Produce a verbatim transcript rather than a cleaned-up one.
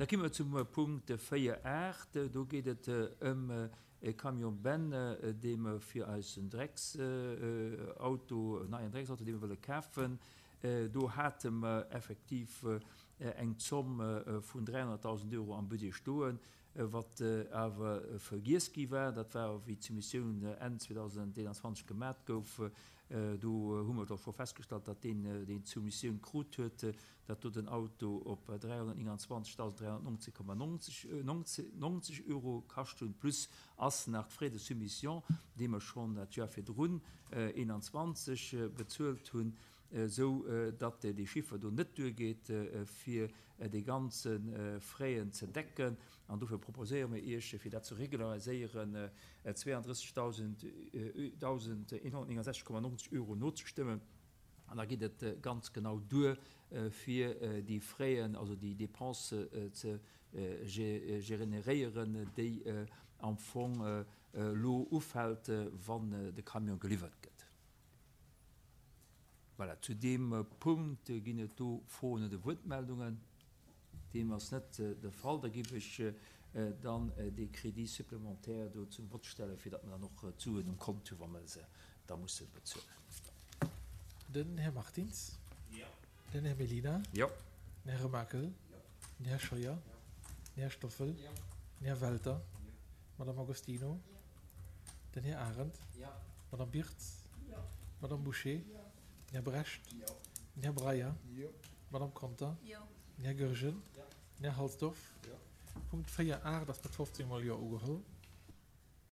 Da komme mer zum Punkt véier aacht. Do geet et ëm e Camion benne, dee mer fir eisen Drecksauto, en neien Drecksauto, dee mer wëlle kafen. Do hate mer effektiv eng Zomm vun dräihonnertdausend Euro am Budget stoen, wat awer vergiess gi war. Dat war, wéi d'Soumissioun Enn zweedausendeenanzwanzeg gemat gouf. Do hu mer da scho festgestallt, datt deen, deen d'Soumissioun krut huet, datt do den Auto op dräihonnertnénganzwanzegdausend dräihonnertneunzeg Komma neunzeg Euro kascht hunn, plus ass nach d'Frais de soumission, déi mer schonn dat Joer virdrun, eenanzwanzeg, bezuelt hunn, esou datt dee Chiffer do net duergeet, fir déi ganze Fraisen ze decken. An dofir proposéiere mir Iech, fir dat ze regulariséieren, zweiunddrëssegdausendeenhonnertnéngandsechzeg Komma neunzeg Euro nozestëmmen. An da geet et ganz genau duer, fir déi Fraisen, also déi Dépenses ze generéieren, déi am Fong elo ufält, wann de Camion geliwwert gëtt. Voilà, zu deem Punkt ginn et do Froen oder Wuertmeldungen. Deem ass net de Fall. Da géif ech dann dee Crédit supplémentaire do zum Vott stellen, fir datt mer dann och d'Suen um Kont hu wa mer se da musse bezuelen. Den Här Martins. Den Här Mellina. Den Här Remakel. Den Här Scheuer. Den Här Stoffel. Den Här Welter. D'Madame Agostino. Den Här Arendt. D'Madame Birtz. D'Madame Bouché. Den Här Brecht. Den Här Breyer. D'Madame Conter. Den Här Goergen. Den Här Halsdorf. Punkt véier aacht ass mat fofzéng mol Jo ugeholl.